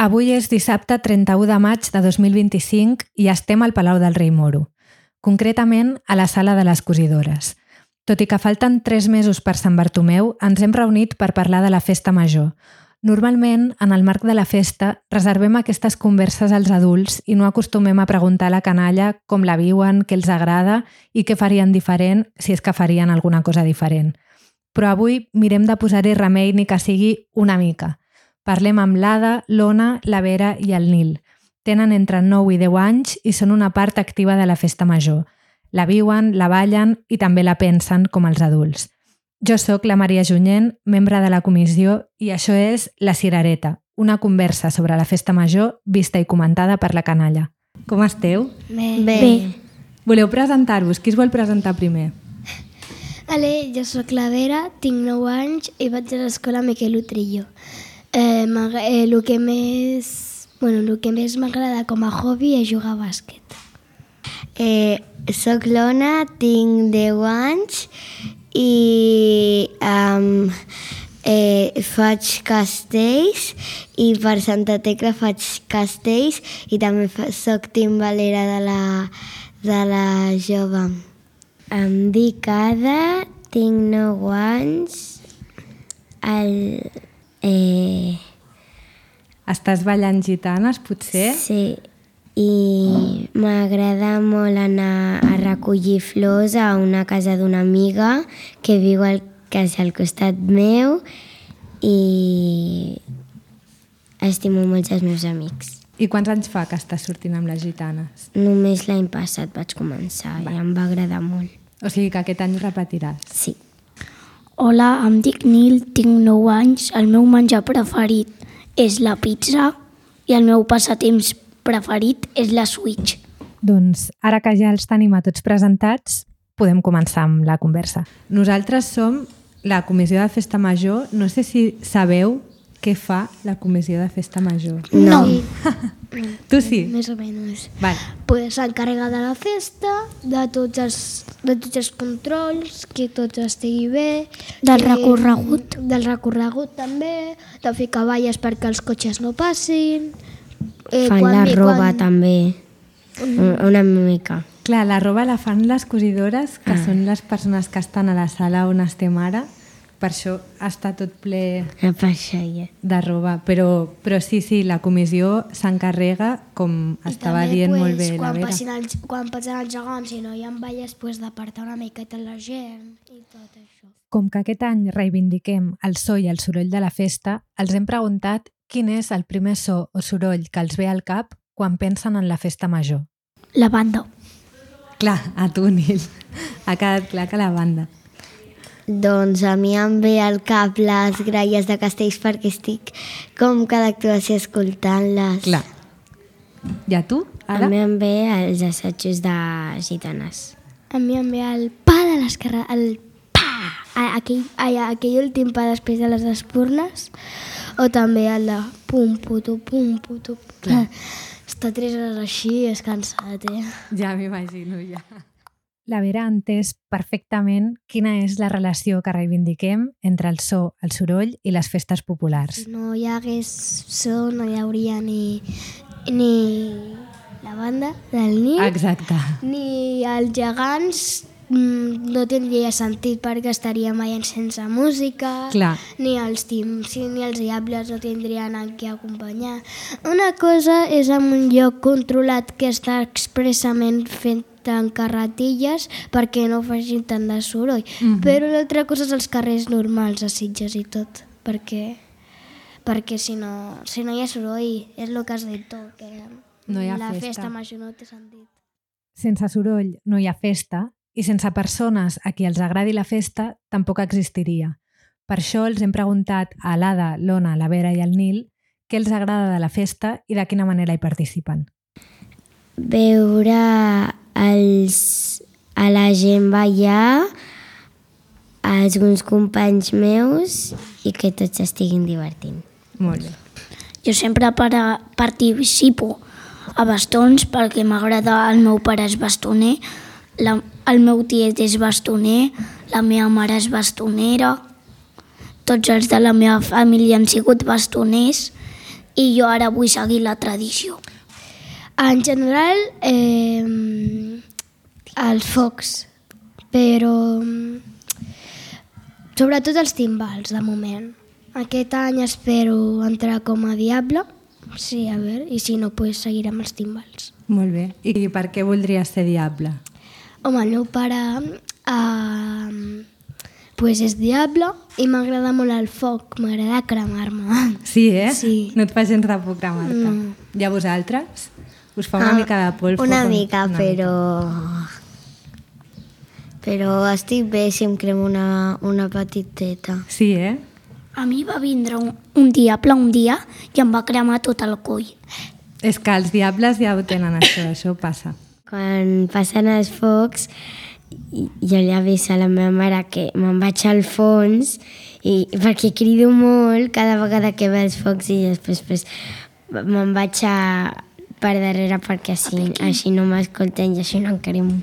Avui és dissabte 31 de maig de 2025 i estem al Palau del Rei Moro, concretament a la Sala de les Cosidores. Tot i que falten 3 mesos per Sant Bartomeu, ens hem reunit per parlar de la festa major. Normalment, en el marc de la festa, reservem aquestes converses als adults i no acostumem a preguntar a la canalla com la viuen, què els agrada i què farien diferent, si és que farien alguna cosa diferent. Però avui mirem de posar-hi remei ni que sigui una mica. Parlem amb l'Ada, l'Ona, la Vera i el Nil. Tenen entre 9 i 10 anys i són una part activa de la festa major. La viuen, la ballen i també la pensen com els adults. Jo sóc la Maria Junyent, membre de la comissió, i això és La Cirereta, una conversa sobre la festa major vista i comentada per la canalla. Com esteu? Bé. Voleu presentar-vos? Qui es vol presentar primer? Jo sóc la Vera, tinc 9 anys i vaig a l'escola Miquel Utrillo. El que més m'agrada com a hobby és jugar a bàsquet. Soc l'Ona, tinc 10 anys i faig castells i per Santa Tecla faig castells i també soc timbalera de la jove. Em dic Ada, tinc 9 anys. Estàs ballant gitanes, potser? Sí, i m'agrada molt anar a recollir flors a una casa d'una amiga que viu quasi al costat meu i estimo molt els meus amics. I quants anys fa que estàs sortint amb les gitanes? Només l'any passat vaig començar i em va agradar molt. O sigui que aquest any ho repetiràs? Sí. Hola, em dic Nil, tinc 9 anys, el meu menjar preferit és la pizza i el meu passatemps preferit és la Switch. Doncs ara que ja els tenim a tots presentats, podem començar amb la conversa. Nosaltres som la Comissió de Festa Major. No sé si sabeu què fa la Comissió de Festa Major. No. Tu sí? Més o menys. Vale. S'encarrega de la festa, de tots els controls, que tot estigui bé. Del recorregut. Del recorregut també, de fer cavalles perquè els cotxes no passin. Fan la roba també, una mica. Clar, la roba la fan les cosidores, que són les persones que estan a la sala on estem ara. Per això està tot ple de roba. Però sí, la comissió s'encarrega, com estava dient molt bé la Vera. Quan passen els gegants i no hi ha balles, d'apartar una miqueta la gent i tot això. Com que aquest any reivindiquem el so i el soroll de la festa, els hem preguntat quin és el primer so o soroll que els ve al cap quan pensen en la festa major. La banda. Clar, a tu, Nil. Ha quedat clar que la banda. Doncs a mi em ve al cap les gralles de castells perquè estic com cada actuació escoltant-les. Clar. I a tu, Ada? A mi em ve els assajos de gitanes. A mi em ve el pa de l'esquerra, el pa! Aquell últim pa després de les espurnes, o també el de pum, putu, pum, putu. Clar. Estar 3 hores així és cansat, Ja m'imagino, ja. La Vera ha entès perfectament quina és la relació que reivindiquem entre el so, el soroll i les festes populars. Si no hi hagués so, no hi hauria ni la banda del Nil, Exacte. ni els gegants, no tindria sentit perquè estaríem ballant sense música. Clar. Ni els tims ni els diables no tindrien a qui acompanyar. Una cosa és en un lloc controlat que està expressament fent en carretilles perquè no facin tant de soroll. Però l'altra cosa és els carrers normals a Sitges i tot, perquè si no hi ha soroll, és el que has dit tu, que no hi ha la festa. festa major no té sentit. Sense soroll no hi ha festa i sense persones a qui els agradi la festa tampoc existiria. Per això els hem preguntat a l'Ada, l'Ona, la Vera i el Nil què els agrada de la festa i de quina manera hi participen. Veure a la gent ballar, alguns companys meus i que tots estiguin divertint. Molt bé. Jo sempre participo a bastons perquè m'agrada, el meu pare és bastoner, el meu tiet és bastoner, la meva mare és bastonera, tots els de la meva família han sigut bastoners i jo ara vull seguir la tradició. En general, els focs, però sobretot els timbals, de moment. Aquest any espero entrar com a diable, sí, a veure, i si no, pues seguiré amb els timbals. Molt bé. I per què voldries ser diable? Home, el meu pare pues és diable i m'agrada molt el foc, m'agrada cremar-me. Sí, eh? Sí. No et fa gens de por cremar-te. No. I a vosaltres? Us fa una mica de por el foc? Una mica, però estic bé si em cremo una petiteta. Sí, eh? A mi va vindre un diable un dia i em va cremar tot el coll. És que els diables ja ho tenen, això passa. Quan passen els focs, jo li aviso a la meva mare que me'n vaig al fons perquè crido molt cada vegada que ve els focs i després me'n vaig per darrere perquè així no m'escolten i així no em cremo.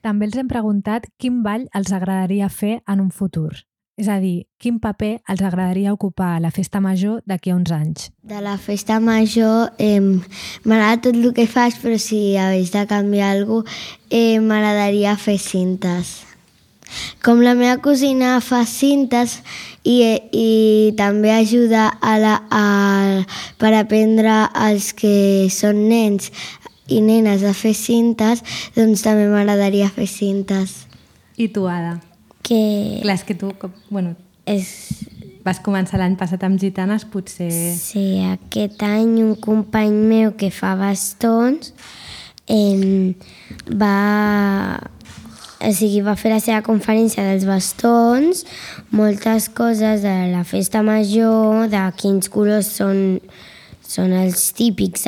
També els hem preguntat quin ball els agradaria fer en un futur. És a dir, quin paper els agradaria ocupar a la festa major d'aquí a uns anys. De la festa major m'agrada tot el que fas, però si hagués de canviar alguna cosa, m'agradaria fer cintes. Com la meva cosina fa cintes i també ajuda per aprendre als que són nens i nenes a fer cintes, doncs també m'agradaria fer cintes. I tu, Ada? Clar, és que tu, vas començar l'any passat amb gitanes, potser... Sí, aquest any un company meu que fa bastons va fer la seva conferència dels bastons, moltes coses de la festa major, de quins colors són els típics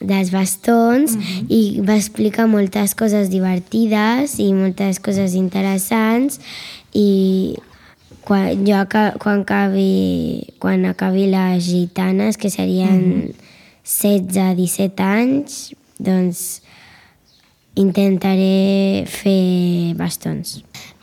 dels bastons, i va explicar moltes coses divertides i moltes coses interessants, i quan acabi les gitanes, que serien 16-17 anys, doncs intentaré fer bastons.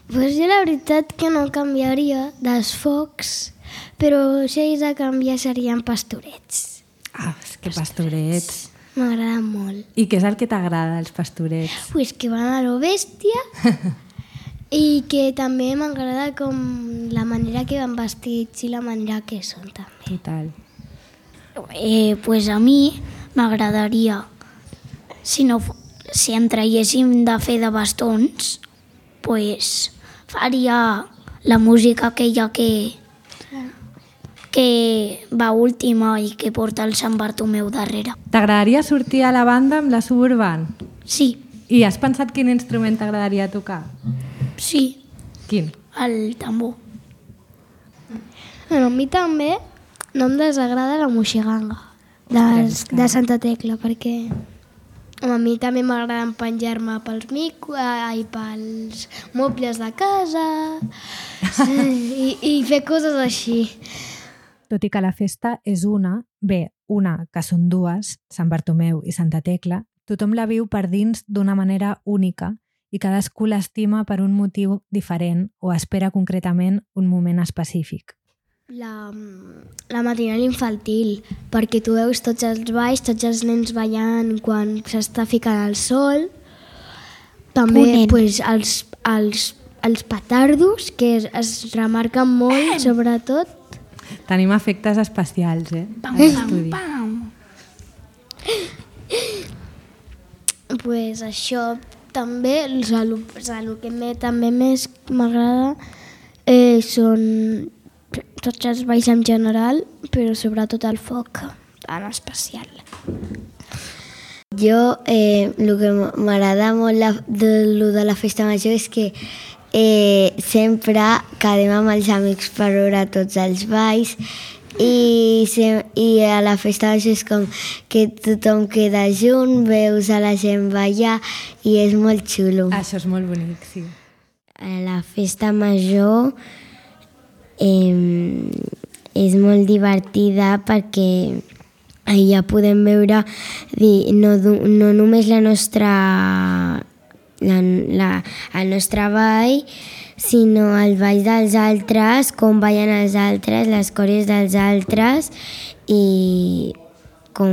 Pues jo la veritat que no canviaria dels focs, però si hagués de canviar serien pastorets. Ah, és que pastorets... M'agrada molt. I què és el que t'agrada, els pastorets? Pues que van a lo bèstia i que també m'agrada com la manera que van vestits i la manera que són també. Total. Pues a mi m'agradaria, si em traiéssim de fer de bastons, pues faria la música aquella que va última i que porta el Sant Bartomeu darrere. T'agradaria sortir a la banda amb la Suburban? Sí. I has pensat quin instrument t'agradaria tocar? Sí. Quin? El tambor. Bueno, a mi també no em desagrada la moixiganga de Santa Tecla, perquè a mi també m'agrada penjar-me pels pels mobles de casa i fer coses així. Tot i que la festa és una que són dues, Sant Bartomeu i Santa Tecla, tothom la viu per dins d'una manera única i cadascú l'estima per un motiu diferent o espera concretament un moment específic. La matinal infantil, perquè tu veus tots els balls, tots els nens ballant quan s'està ficant el sol. També pues, els petardos, que es remarquen molt, sobretot. Tenim efectes especials, Pam, pam, pam. Pues això també, el que també més m'agrada són tots els balls en general, però sobretot el foc en especial. Jo, el que m'agrada molt de la festa major és que sempre quedem amb els amics per veure tots els balls i a la festa major és com que tothom queda junt, veus a la gent ballar i és molt xulo. Això és molt bonic, sí. A la festa major és molt divertida perquè allà podem veure no només el nostre ball, sinó el ball dels altres, com ballen els altres, les cores dels altres i com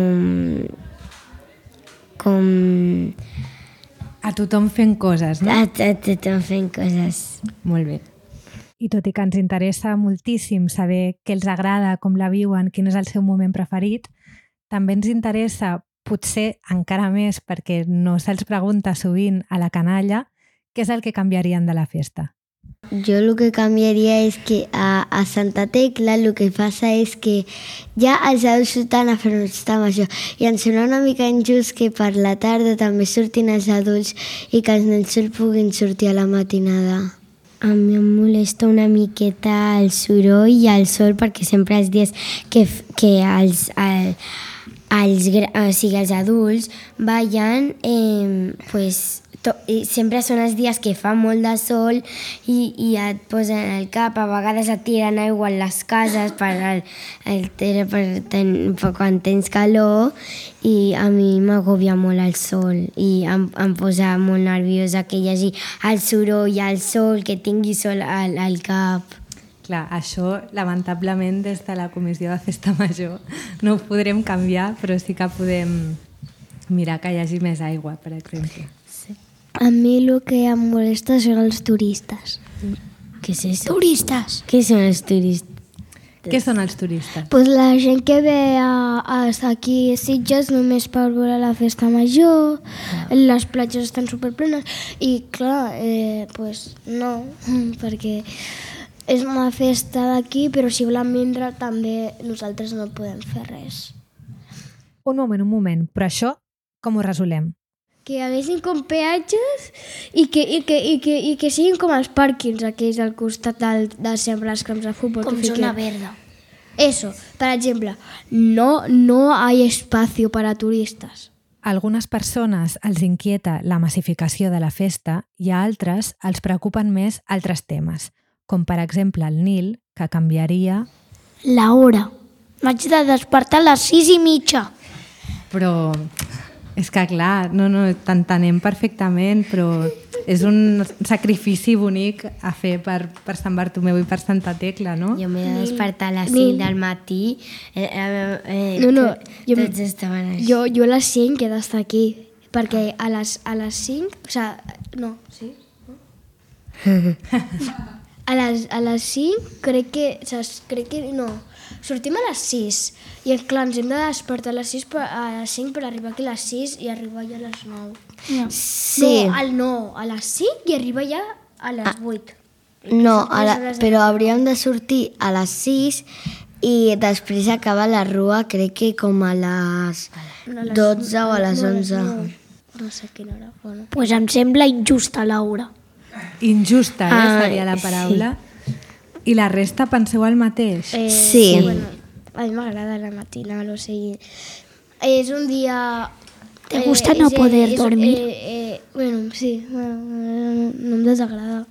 A tothom fent coses, no? a tothom fent coses. Molt bé. I tot i que ens interessa moltíssim saber què els agrada, com la viuen, quin és el seu moment preferit, també ens interessa, potser encara més perquè no se'ls pregunta sovint a la canalla, què és el que canviarien de la festa. Jo el que canviaria és que a Santa Tecla el que passa és que ja els adults surten a fer festa major i ens sembla una mica injust que per la tarda també surtin els adults i que els nens puguin sortir a la matinada. A mi em molesta una miqueta el soroll i el sol perquè sempre els dies que els adults ballen sempre són els dies que fa molt de sol i et posen al cap, a vegades et tiren aigua a les cases per quan tens calor i a mi m'agobia molt el sol i em posa molt nerviosa que hi hagi el soroll, el sol, que tingui sol al cap. Clar, això, lamentablement, des de la Comissió de Festa Major no ho podrem canviar, però sí que podem mirar que hi hagi més aigua, per exemple. A mi el que em molesta són els turistes. Què és això? Turistes! Què són els turistes? Què són els turistes? Pues la gent que ve aquí a Sitges només per veure la festa major, les platges estan superplenes i clar, pues no, perquè és una festa d'aquí, però si volen vindre també nosaltres no podem fer res. Un moment, però això com ho resolem? Que hi haguessin com peatges i que siguin com els pàrquings aquells al costat de sempre els camps de futbol. Com zona verda. Eso, per exemple, no hay espacio para turistas. A algunes persones els inquieta la massificació de la festa i a altres els preocupen més altres temes, com per exemple el Nil, que canviaria... La hora. M'haig de despertar a les 6:30. Però és que clar, t'entenem perfectament, però és un sacrifici bonic a fer per Sant Bartomeu i per Santa Tecla, no? Jo m'he de despertar a les 5 del matí. Tots estaven així. Jo a les 5 he d'estar aquí, perquè a les 5... O sigui, no, sí? A les 5 crec que no. Sortim a les 6 i clar, ens hem de despertar a les 5 per arribar aquí a les 6 i arribar ja a les 9. No. Sí. No, a les 5 i arribar ja a les 8. No, però hauríem de sortir a les 6 i després acabar la rua, crec que com a les 12 o a les 11. No sé quina hora. Bueno. Pues em sembla injusta l'hora. Injusta, seria la paraula. Sí. I la resta penseu el mateix? Sí. Bueno, a mi m'agrada la matinal, o sigui... És un dia... ¿Te gusta no poder dormir? Bueno, sí, no em desagrada.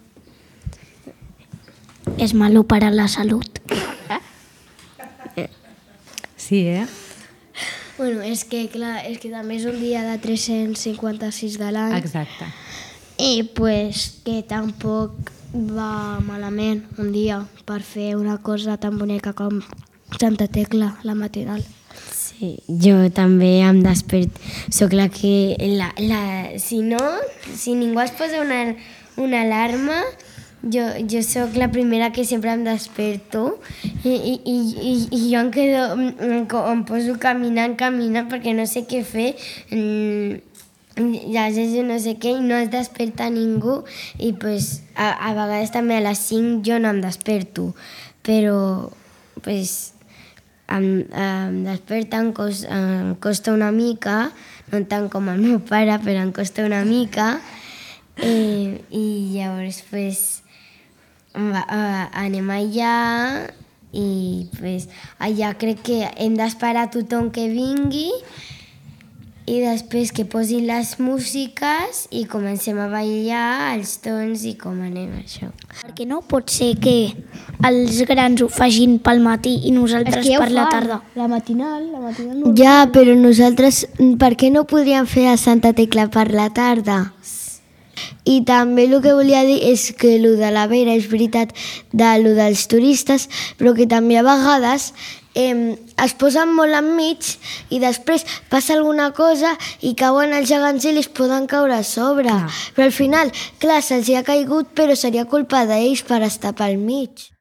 Es malo para la salud. Sí, Bueno, és que també és un dia de 356 de l'any. Exacte. I pues que tampoc va malament un dia per fer una cosa tan bonica com Santa Tecla, la matinal. Sí, jo també em desperto. Soc la que... Si ningú es posa una alarma, jo sóc la primera que sempre em desperto i jo em poso caminant perquè no sé què fer. Llegeixo no sé què i no es desperta ningú i pues, a vegades també a les 5 jo no em desperto, però pues, em desperta, em costa una mica, no tant com el meu pare, però em costa una mica i llavors pues, anem allà i pues, allà crec que hem d'esperar tothom que vingui i després que posin les músiques i comencem a ballar els tons i com anem això. Perquè no pot ser que els grans ho facin pel matí i nosaltres per la tarda. La matinal no. Ja, però nosaltres, per què no podríem fer a Santa Tecla per la tarda? I també el que volia dir és que el de la vera és veritat de lo dels turistes, però que també a vegades es posen molt enmig i després passa alguna cosa i cauen els gegants i els poden caure a sobre. Però al final, clar, se'ls ha caigut, però seria culpa d'ells per estar pel mig.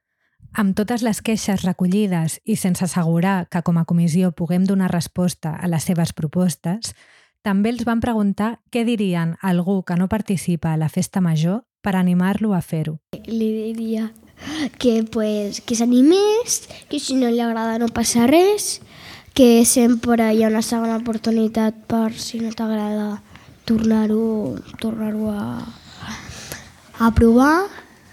Amb totes les queixes recollides i sense assegurar que com a comissió puguem donar resposta a les seves propostes, també els van preguntar què dirien a algú que no participa a la festa major per animar-lo a fer-ho. Li diria que s'animés, que si no li agrada no passa res, que sempre hi ha una segona oportunitat per, si no t'agrada, tornar-ho a provar.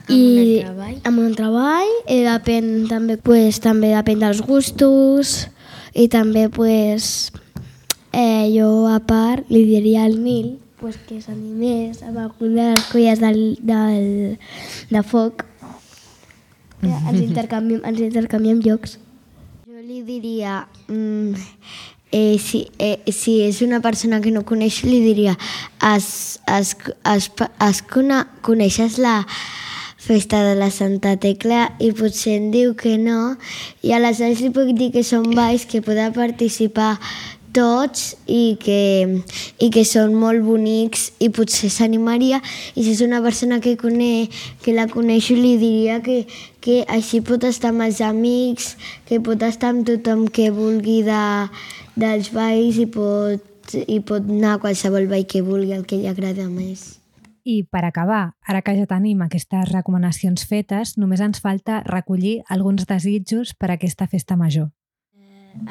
I amb un treball depèn també, també depèn dels gustos i també jo a part li diria al Nil que s'animés amb alguna de les colles de foc. Ens intercanviem llocs. Jo li diria, si és una persona que no coneix, li diria, coneixes la festa de la Santa Tecla? I potser em diu que no, i aleshores li puc dir que són balls que poden participar tots i que són molt bonics i potser s'animaria. I si és una persona que la coneixo, li diria que així pot estar amb els amics, que pot estar amb tothom que vulgui dels balls i pot anar a qualsevol ball que vulgui, el que li agrada més. I per acabar, ara que ja tenim aquestes recomanacions fetes, només ens falta recollir alguns desitjos per a aquesta festa major.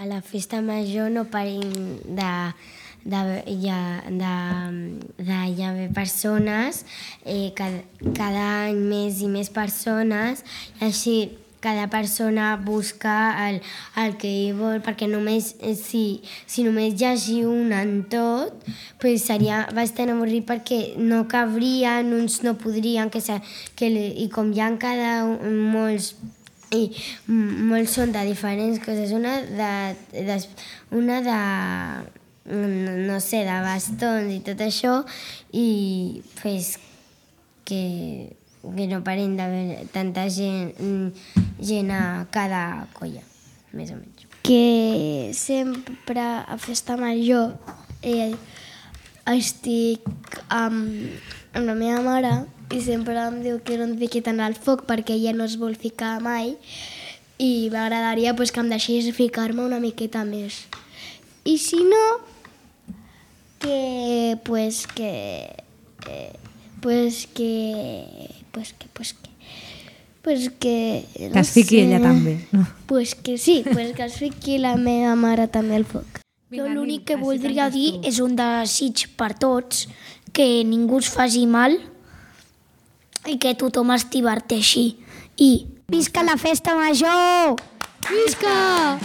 A la festa major no parin hi haver persones, cada any més i més persones, i així cada persona busca el que hi vol, perquè si només hi hagi un en tot, seria bastant avorrit perquè no cabrien, uns no podrien, i com hi ha molts i molts són de diferents coses, una de no sé, de bastons i tot això, i que no parin d'haver tanta gent a cada colla, més o menys. Que sempre a festa major estic amb la meva mare i sempre em diu que no em fiqui tant al foc perquè ella no es vol ficar mai i m'agradaria que em deixés ficar-me una miqueta més. I si no, que es fiqui ella també, no? Que sí, que es fiqui la meva mare també al foc. Jo l'únic que voldria dir és un desig per tots, que ningú es faci mal i que tothom es diverteixi. I visca la festa major! Visca!